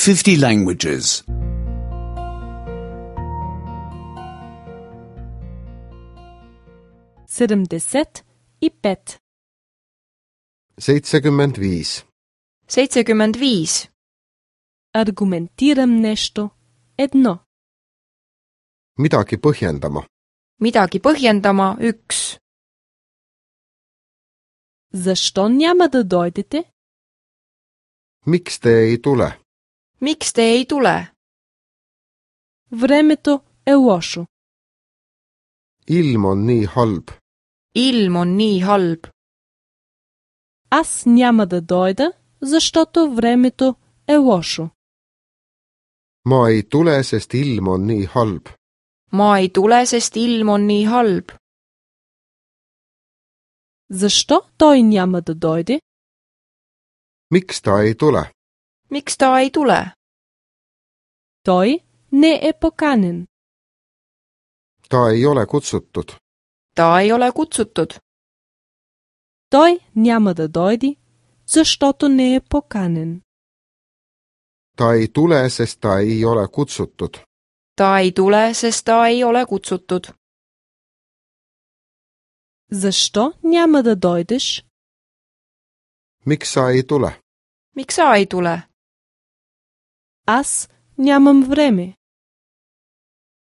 50 languages. 75. 75. 75. Аргументирам нещо. 1. Midagi põhjendama. Midagi põhjendama. 1. Защо няма да дойдете? Miks te ei tule? Miks te ei tule? Времето е лошо. Ilm on nii halb. Ilm on nii halb. Аз няма да дойда, защото времето е лошо. Ma ei tule, sest ilm on nii halb. Ma ei tule, sest ilm on nii halb. Защо той няма да дойде? Miks ta ei tule? Miks ta ei tule? Той не е поканен. Ta ei ole kutsutud. Ta ei ole kutsutud. Той няма да дойде, защото не е поканен. Ta ei tule, sest ta ei ole kutsutud. Ta ei tule, sest ta ei ole kutsutud. Защо няма да дойдеш? Miks sa ei tule? Miks sa ei tule? Аз нямам време.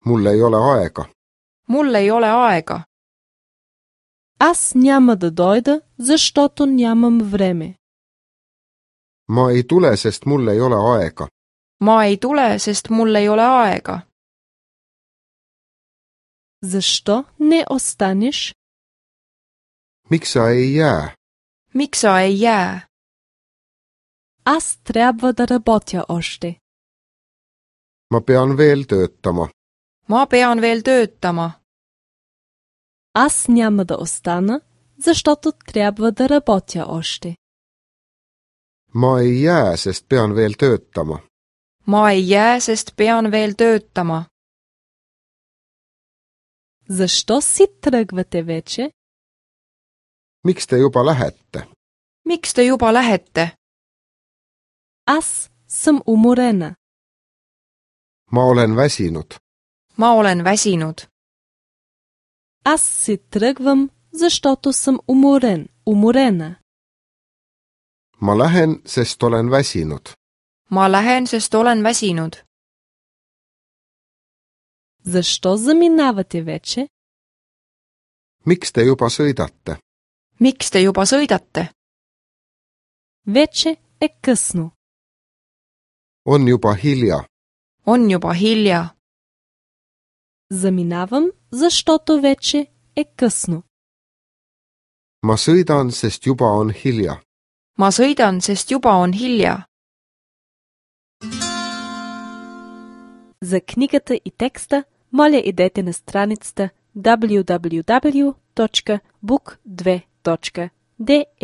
Mul ei ole aega. Mul ei ole aega. Аз няма да дойда, защото нямам време. Ma ei tule, sest mul ei ole aega. Ma ei tule, sest mul ei ole aega. Защо не останеш? Miks sa ei jää? Miks sa ei jää? Аз трябва да работя още. Ma pean veel töötama. Ma pean veel töötama. Аз няма да остана, защото трябва да работя още. Ma ei jää, sest pean veel töötama. Ma ei jää, sest pean veel töötama. Защо си тръгвате вече? Miks te juba lähete? Miks te juba lähete? Аз съм уморена. Ma olen väsinud. Ma olen väsinud. Аз си тръгвам, защото съм уморена. Ma lähen, sest olen väsinud. Ma lähen, sest olen väsinud. Защо заминавате вече? Miks te juba sõidate? Miks te juba sõidate? Вече е късно. On juba hilja. On juba hilja. Заминавам, защото вече е късно. Ma sõidan, sest juba on hilja. Ma sõidan, sest juba on hilja. За книгата и текста, моля идете на страницата www.book2.de.